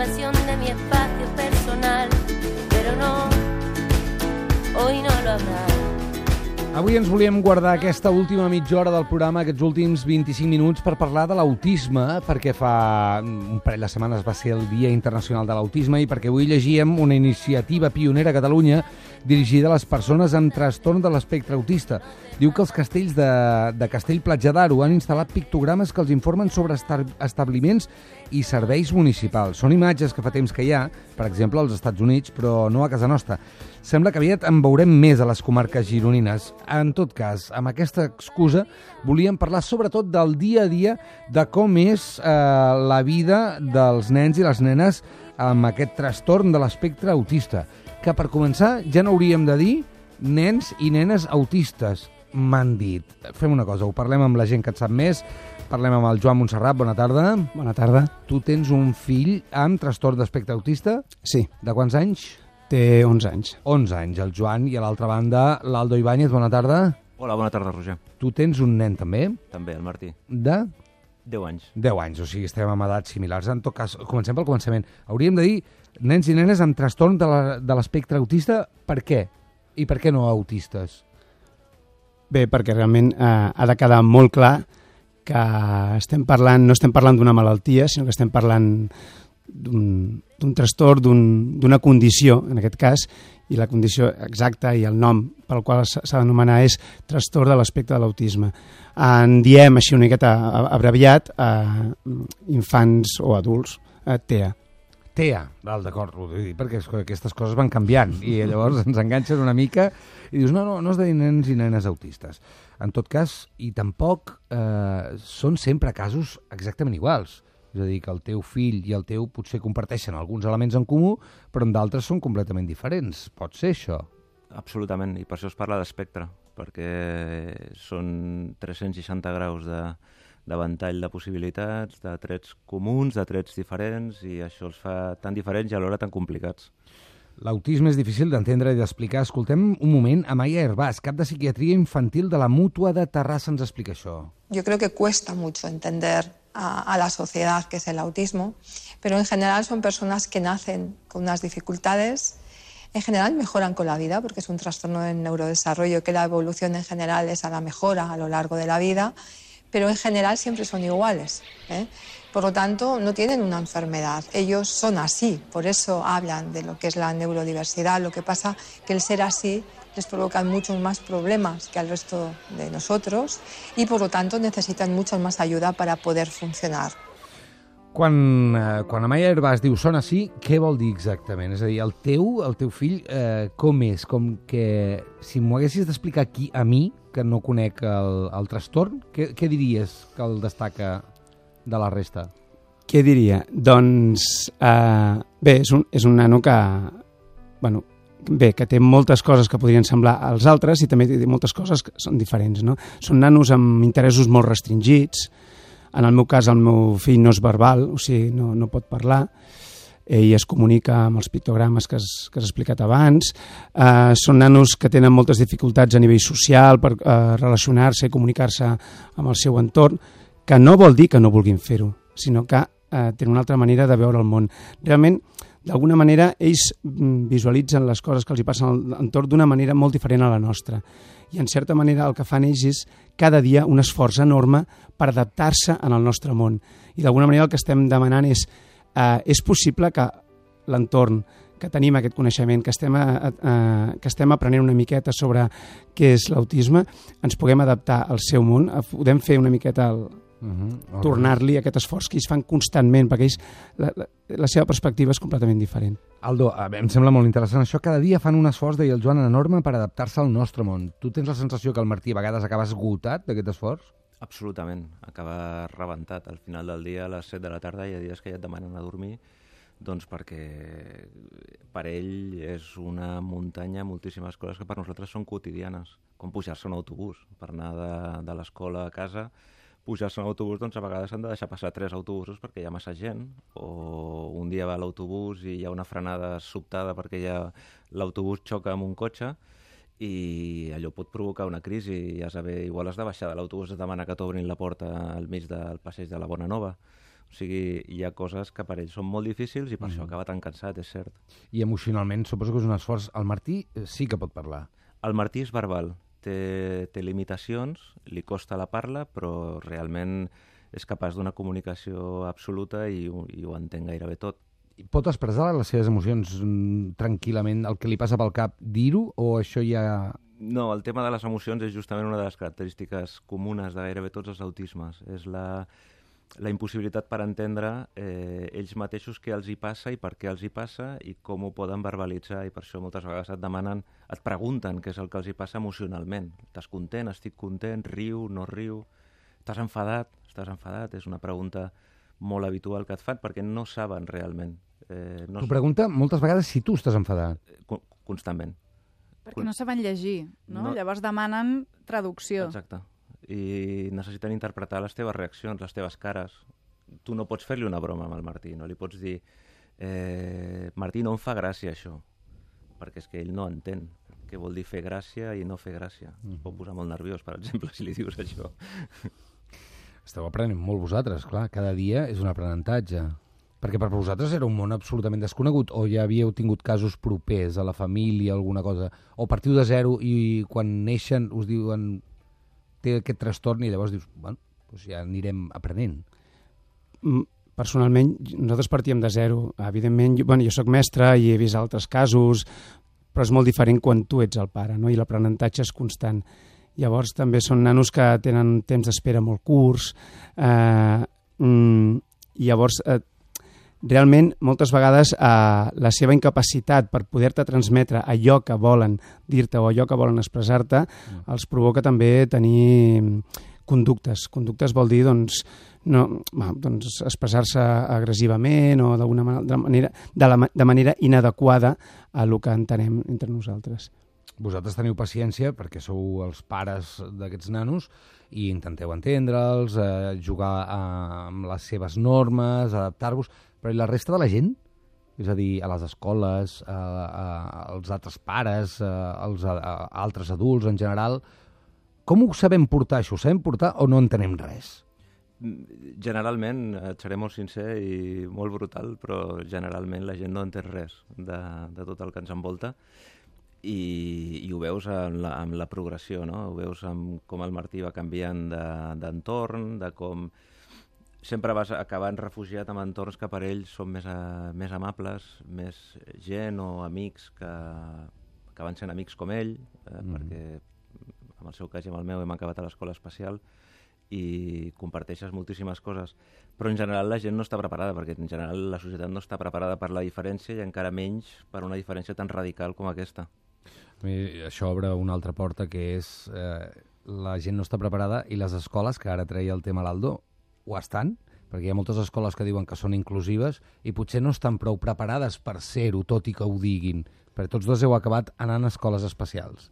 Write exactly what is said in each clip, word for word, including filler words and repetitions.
invasión de mi espacio personal, pero no, hoy no lo habrá. Avui ens volíem guardar aquesta última mitja hora del programa, aquests últims vint-i-cinc minuts, per parlar de l'autisme, perquè fa un parell de setmanes va ser el Dia Internacional de l'Autisme i perquè avui llegíem una iniciativa pionera a Catalunya dirigida a les persones amb trastorn de l'espectre autista. Diu que els castells de, de Castell-Platja d'Aro han instal·lat pictogrames que els informen sobre establiments i serveis municipals. Són imatges que fa temps que hi ha, per exemple, als Estats Units, però no a casa nostra. Sembla que aviat en veurem més a les comarques gironines. En tot cas, amb aquesta excusa, volíem parlar sobretot del dia a dia de com és eh, la vida dels nens i les nenes amb aquest trastorn de l'espectre autista. Que per començar ja no hauríem de dir nens i nenes autistes, m'han dit. Fem una cosa, ho parlem amb la gent que et sap més. Parlem amb el Joan Montserrat, bona tarda. Bona tarda. Tu tens un fill amb trastorn d'espectre autista? Sí. De quants anys? Té onze anys. onze anys, el Joan, i a l'altra banda, l'Aldo Ibáñez, bona tarda. Hola, bona tarda, Roger. Tu tens un nen també? També, el Martí. De? deu anys. deu anys, o sigui, estem amb edats similars. En tot cas, comencem pel començament. Hauríem de dir nens i nenes amb trastorn de l'espectre autista, per què? I per què no autistes? Bé, perquè realment eh, ha de quedar molt clar que estem parlant, no estem parlant d'una malaltia, sinó que estem parlant d'un trastorn, d'una condició, en aquest cas, i la condició exacta i el nom pel qual s'ha d'anomenar és trastorn de l'espectre de l'autisme. En diem així una miqueta abreviat a infants o adults, a T E A. T E A, val, d'acord, perquè aquestes coses van canviant i llavors ens enganxen una mica i dius, no, no, no has de dir nens i nenes autistes. En tot cas, i tampoc eh, són sempre casos exactament iguals. És a dir, que el teu fill i el teu potser comparteixen alguns elements en comú, però en d'altres són completament diferents. Pot ser això? Absolutament, i per això es parla d'espectre, perquè són tres-cents seixanta graus de, de ventall de possibilitats, de trets comuns, de trets diferents, i això els fa tan diferents i alhora tan complicats. L'autisme és difícil d'entendre i d'explicar. Escoltem un moment, Amaia Herbàs, cap de psiquiatria infantil de la Mútua de Terrassa, ens explica això. Yo creo que cuesta mucho entender a, a la sociedad qué es el autismo, pero en general son personas que nacen con unas dificultades, en general mejoran con la vida porque es un trastorno del neurodesarrollo, que la evolución en general es a la mejora a lo largo de la vida, pero en general siempre son iguales, ¿eh? Por lo tanto, no tienen una enfermedad, ellos son así, por eso hablan de lo que es la neurodiversidad. Lo que pasa que el ser así les provoca muchos más problemas que al resto de nosotros y por lo tanto necesitan mucha más ayuda para poder funcionar. Quan, eh, quan Amaia Herbàs diu són així, què vol dir exactament? És a dir, el teu, el teu fill, eh, com és? Com que, si m'ho haguessis d'explicar aquí a mi, que no conec el, el trastorn, què, què diries que el destaca de la resta? Què diria? Doncs, eh, bé, és un, és un nano que, bueno, bé, que té moltes coses que podrien semblar als altres i també té moltes coses que són diferents, no? Són nanos amb interessos molt restringits. En el meu cas, el meu fill no és verbal, o sigui, no, no pot parlar. Ell es comunica amb els pictogrames que has, que has explicat abans. Eh, són nanos que tenen moltes dificultats a nivell social per eh, relacionar-se i comunicar-se amb el seu entorn, que no vol dir que no vulguin fer-ho, sinó que eh, tenen una altra manera de veure el món. Realment, d'alguna manera, ells visualitzen les coses que els hi passen a l'entorn d'una manera molt diferent a la nostra. I, en certa manera, el que fan ells és cada dia un esforç enorme per adaptar-se en el nostre món. I, d'alguna manera, el que estem demanant és eh, és possible que l'entorn, que tenim aquest coneixement, que estem, a, a, que estem aprenent una miqueta sobre què és l'autisme, ens puguem adaptar al seu món, podem fer una miqueta el, Uh-huh. tornar-li aquest esforç que ells fan constantment, perquè ells, la, la, la seva perspectiva és completament diferent. Aldo, em sembla molt interessant això. Cada dia fan un esforç, deia el Joan, enorme per adaptar-se al nostre món. Tu tens la sensació que el Martí a vegades acaba esgotat d'aquest esforç? Absolutament. Acaba rebentat. Al final del dia, a les set de la tarda, hi ha dies que ja et demanen a dormir, doncs perquè per ell és una muntanya, moltíssimes coses que per nosaltres són quotidianes, com pujar-se a un autobús per anar de, de l'escola a casa. Pujar-se en autobús, doncs a vegades han de deixar passar tres autobusos perquè hi ha massa gent, o un dia va a l'autobús i hi ha una frenada sobtada perquè ja l'autobús xoca amb un cotxe i allò pot provocar una crisi i has de haver, igual has de baixar de l'autobús, has de demanar que t'obrin la porta al mig del passeig de la Bona Nova. O sigui, hi ha coses que per ells són molt difícils i per Mm. això acaba tan cansat, és cert. I emocionalment suposo que és un esforç. El Martí eh, sí que pot parlar. El Martí és verbal, té, té limitacions, li costa la parla, però realment és capaç d'una comunicació absoluta i, ho- i ho entén gairebé tot. Pot expressar les seves emocions mm, tranquil·lament, el que li passa pel cap, dir-ho, o això ja... No, el tema de les emocions és justament una de les característiques comunes de gairebé tots els autismes. És la, la impossibilitat per entendre eh, ells mateixos què els hi passa i per què els hi passa i com ho poden verbalitzar, i per això moltes vegades et demanen, et pregunten què és el que els hi passa emocionalment. Estàs content? Estic content? Riu? No riu? Estàs enfadat? Estàs enfadat? És una pregunta molt habitual que et fan perquè no saben realment. Eh, no T'ho pregunta moltes vegades si tu estàs enfadat. Con- constantment. Perquè no saben llegir, no? No. Llavors demanen traducció. Exacte. I necessiten interpretar les teves reaccions, les teves cares. Tu no pots fer-li una broma amb el Martí, no li pots dir eh, Martí, no em fa gràcia això, perquè és que ell no entén què vol dir fer gràcia i no fer gràcia. Es pot posar molt nerviós, per exemple, si li dius això. Esteu aprenent molt vosaltres, clar. Cada dia és un aprenentatge. Perquè per vosaltres era un món absolutament desconegut, o ja havíeu tingut casos propers a la família, alguna cosa, o partiu de zero i quan neixen us diuen té aquest trastorn i llavors dius, bueno, doncs ja anirem aprenent. Mm, Personalment, nosaltres partíem de zero. Evidentment, jo, bueno, jo soc mestre i he vist altres casos, però és molt diferent quan tu ets el pare, no? I l'aprenentatge és constant. Llavors també són nanos que tenen temps d'espera molt curts, eh, mm, i llavors eh, realment moltes vegades eh, la seva incapacitat per poder-te transmetre allò que volen dir-te o allò que volen expressar-te mm. els provoca també tenir conductes. Conductes vol dir doncs, no, va, doncs expressar-se agressivament o d'alguna manera, de, la, de manera inadequada a el que entenem entre nosaltres. Vosaltres teniu paciència perquè sou els pares d'aquests nanos i intenteu entendre'ls, eh, jugar eh, amb les seves normes, adaptar-vos, però i la resta de la gent? És a dir, a les escoles, a, a, als altres pares, a, als a, a altres adults en general, com ho sabem portar, això? Ho sabem portar o no entenem res? Generalment, et seré molt sincer i molt brutal, però generalment la gent no entén res de, de tot el que ens envolta. I, i ho veus en la, en la progressió, no? Ho veus amb com el Martí va canviant d'entorn, de, de com sempre vas acabant refugiat en entorns que per ells són més, a, més amables, més gent o amics que acaben sent amics com ell, eh, mm. perquè en el seu cas i en el meu hem acabat a l'escola especial i comparteixes moltíssimes coses, però en general la gent no està preparada, perquè en general la societat no està preparada per la diferència i encara menys per una diferència tan radical com aquesta. A mi això obre una altra porta, que és eh, la gent no està preparada i les escoles, que ara treia el tema l'Aldo, ho estan, perquè hi ha moltes escoles que diuen que són inclusives i potser no estan prou preparades per ser-ho, tot i que ho diguin, perquè tots dos heu acabat anant a escoles especials.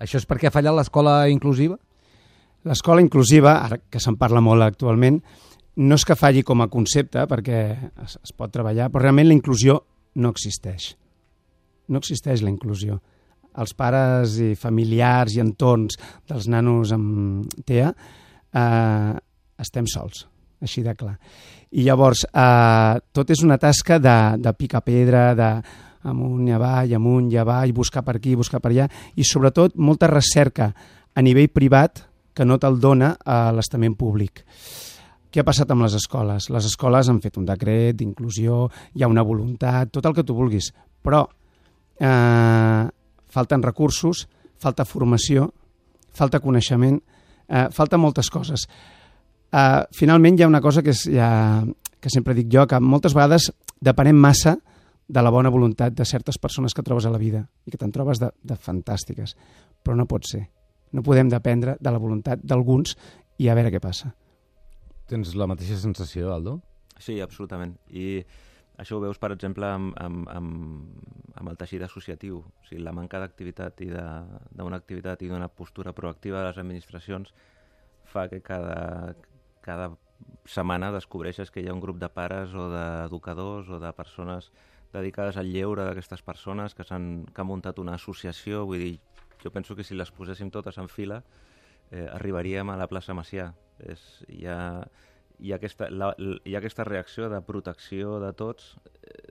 Això és perquè ha fallat l'escola inclusiva? L'escola inclusiva, ara que se'n parla molt actualment, no és que falli com a concepte, perquè es, es pot treballar, però realment la inclusió no existeix. No existeix la inclusió. Els pares i familiars i entorns dels nanos amb T E A eh, estem sols, així de clar. I llavors, eh, tot és una tasca de, de picar pedra, de amunt i avall, amunt i avall, buscar per aquí, buscar per allà, i sobretot molta recerca a nivell privat que no te'l dona a l'estament públic. Què ha passat amb les escoles? Les escoles han fet un decret d'inclusió, hi ha una voluntat, tot el que tu vulguis, però eh, falten recursos, falta formació, falta coneixement, eh, falta moltes coses. Eh, finalment hi ha una cosa que, és, ja, que sempre dic jo, que moltes vegades depenem massa de la bona voluntat de certes persones que trobes a la vida i que te'n trobes de, de fantàstiques, però no pot ser. No podem dependre de la voluntat d'alguns i a veure què passa. Tens la mateixa sensació, Aldo? Sí, absolutament. I això ho veus, per exemple, amb, amb, amb, amb el teixit associatiu. O sigui, la manca d'activitat i d'una activitat i d'una postura proactiva de les administracions fa que cada, cada setmana descobreixes que hi ha un grup de pares o d'educadors o de persones dedicades al lleure d'aquestes persones que, han, que han muntat una associació. Vull dir, jo penso que si les poséssim totes en fila eh, arribaríem a la plaça Macià. És, hi, ha, hi ha aquesta, la, hi ha aquesta reacció de protecció de tots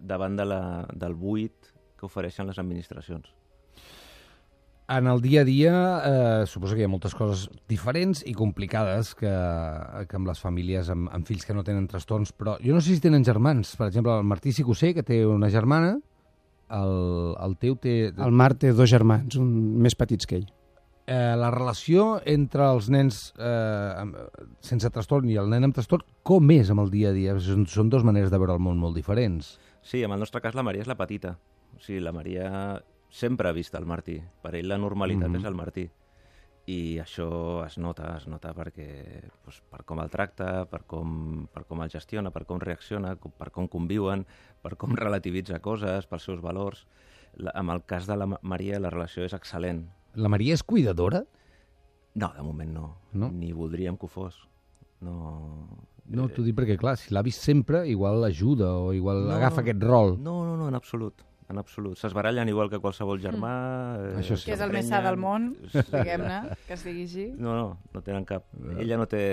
davant de la, del buit que ofereixen les administracions. En el dia a dia, eh, suposo que hi ha moltes coses diferents i complicades que, que amb les famílies amb, amb fills que no tenen trastorns, però jo no sé si tenen germans. Per exemple, el Martí sí que ho sé, que té una germana, el, el teu té... El Marc té dos germans, un més petits que ell. Eh, la relació entre els nens eh, amb, sense trastorn i el nen amb trastorn, com és amb el dia a dia? Són, són dues maneres de veure el món molt diferents. Sí, en el nostre cas la Maria és la petita. O sigui, la Maria sempre ha vist el Martí. Per ell la normalitat mm-hmm. és el Martí. I això es nota, es nota perquè, doncs, per com el tracta, per com, per com el gestiona, per com reacciona, per com conviuen, per com relativitza coses, pels seus valors. La, amb el cas de la Maria la relació és excel·lent. La Maria és cuidadora? No, de moment no. no? Ni voldríem que ho fos. No, no t'ho dic perquè, clar, si l'ha vist sempre, igual ajuda o igual no, agafa aquest rol. No, no, no, en absolut. En absolut. S'esbarallen igual que qualsevol germà. Mm. Eh, Això sí. Que és el més sa del món, diguem-ne, que es digui així. No, no, no tenen cap. Ella no té...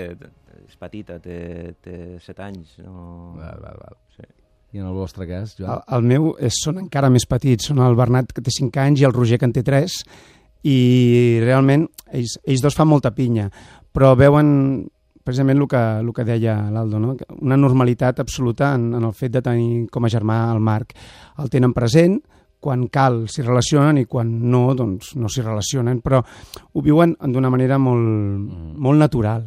És petita, té, té set anys. No... Val, val, val. Sí. I en el vostre cas, Joan? El, el meu és, són encara més petits. Són el Bernat, que té cinc anys, i el Roger, que en té tres. I realment ells, ells dos fan molta pinya, però veuen precisament el que, el que deia l'Aldo, no? Una normalitat absoluta en, en el fet de tenir com a germà el Marc. El tenen present, quan cal s'hi relacionen i quan no, doncs no s'hi relacionen, però ho viuen d'una manera molt, mm. molt natural.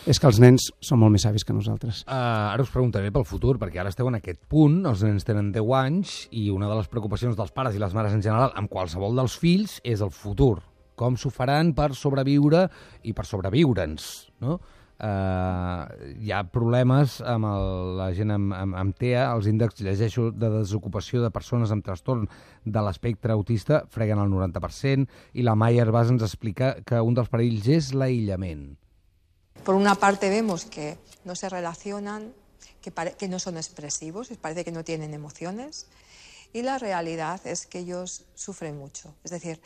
És que els nens són molt més savis que nosaltres. Uh, ara us preguntaré pel futur, perquè ara esteu en aquest punt, els nens tenen deu anys, i una de les preocupacions dels pares i les mares en general, amb qualsevol dels fills, és el futur. Com s'ho faran per sobreviure i per sobreviure'ns, no? Uh, hi ha problemes amb el, la gent amb, amb, amb T E A, els índexs, llegeixo, de desocupació de persones amb trastorn de l'espectre autista freguen el noranta per cent, i la Maya Herbàs ens explica que un dels perills és l'aïllament. Por una parte vemos que no se relacionan, que, que no son expresivos, parece que no tienen emociones, y la realidad es que ellos sufren mucho. Es decir,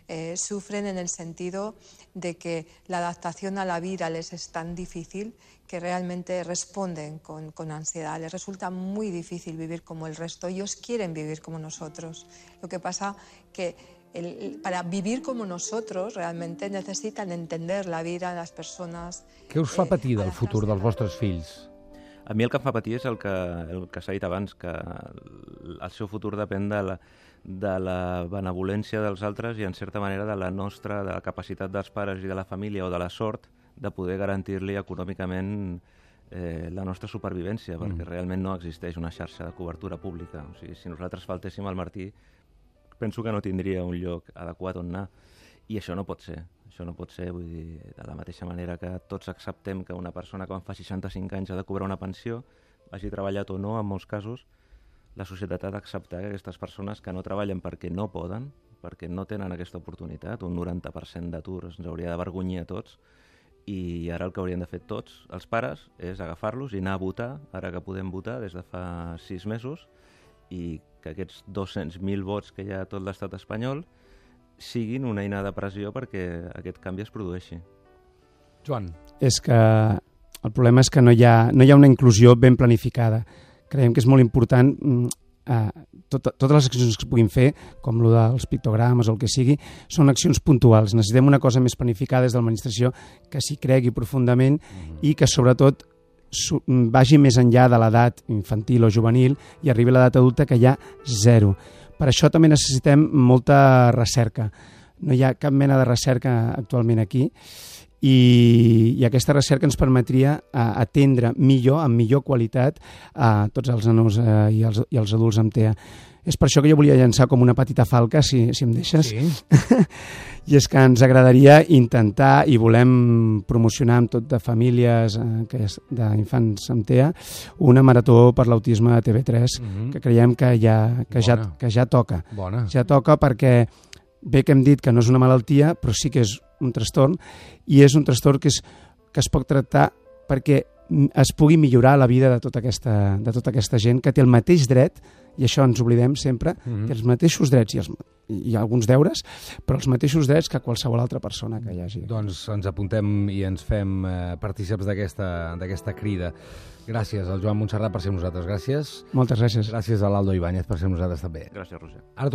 eh, sufren en el sentido de que la adaptación a la vida les es tan difícil que realmente responden con, con ansiedad. Les resulta muy difícil vivir como el resto. Ellos quieren vivir como nosotros. Lo que pasa que El, para vivir como nosotros realmente necesitan entender la vida, las persones... Què us fa patir del futur dels vostres fills? A mi el que em fa patir és el que, el que s'ha dit abans, que el seu futur depèn de la, de la benevolència dels altres i en certa manera de la nostra, de la capacitat dels pares i de la família o de la sort de poder garantir-li econòmicament eh, la nostra supervivència, mm. perquè realment no existeix una xarxa de cobertura pública. O sigui, si nosaltres faltéssim al Martí, penso que no tindria un lloc adequat on anar. I això no pot ser. Això no pot ser, vull dir, de la mateixa manera que tots acceptem que una persona quan fa seixanta-cinc anys ha de cobrar una pensió, hagi treballat o no, en molts casos, la societat ha d'acceptar que aquestes persones que no treballen perquè no poden, perquè no tenen aquesta oportunitat, un noranta per cent d'atur ens hauria d'avergonyir a tots, i ara el que haurien de fer tots els pares és agafar-los i anar a votar, ara que podem votar des de fa sis mesos, i que aquests dos-cents mil vots que hi ha a tot l'estat espanyol siguin una eina de pressió perquè aquest canvi es produeixi. Joan. És que el problema és que no hi ha, no hi ha una inclusió ben planificada. Creiem que és molt important eh, tot, totes les accions que es puguin fer, com el dels pictogrames o el que sigui, són accions puntuals. Necessitem una cosa més planificada des de l'administració que s'hi cregui profundament mm-hmm. i que sobretot vagi més enllà de l'edat infantil o juvenil i arribi a l'edat adulta, que hi ha zero. Per això també necessitem molta recerca. No hi ha cap mena de recerca actualment aquí i, i aquesta recerca ens permetria uh, atendre millor, amb millor qualitat, a tots els nanos uh, i, els, i els adults amb T E A. És per això que jo volia llançar com una petita falca, si, si em deixes. Sí. I és que ens agradaria intentar, i volem promocionar amb tot de famílies eh, que és d'infants amb T E A, una marató per l'autisme a T V tres, mm-hmm. que creiem que ja, que ja, que ja toca. Bona. Ja toca perquè bé que hem dit que no és una malaltia, però sí que és un trastorn, i és un trastorn que, és, que es pot tractar perquè es pugui millorar la vida de tota aquesta, de tota aquesta gent que té el mateix dret, i això ens oblidem sempre, mm-hmm. té els mateixos drets i, els, i alguns deures, però els mateixos drets que qualsevol altra persona que hi hagi. Doncs ens apuntem i ens fem eh, partíceps d'aquesta d'aquesta crida. Gràcies al Joan Montserrat per ser amb nosaltres. Gràcies. Moltes gràcies. Gràcies a l'Aldo Ibáñez per ser amb nosaltres també. Gràcies, Roger. Ara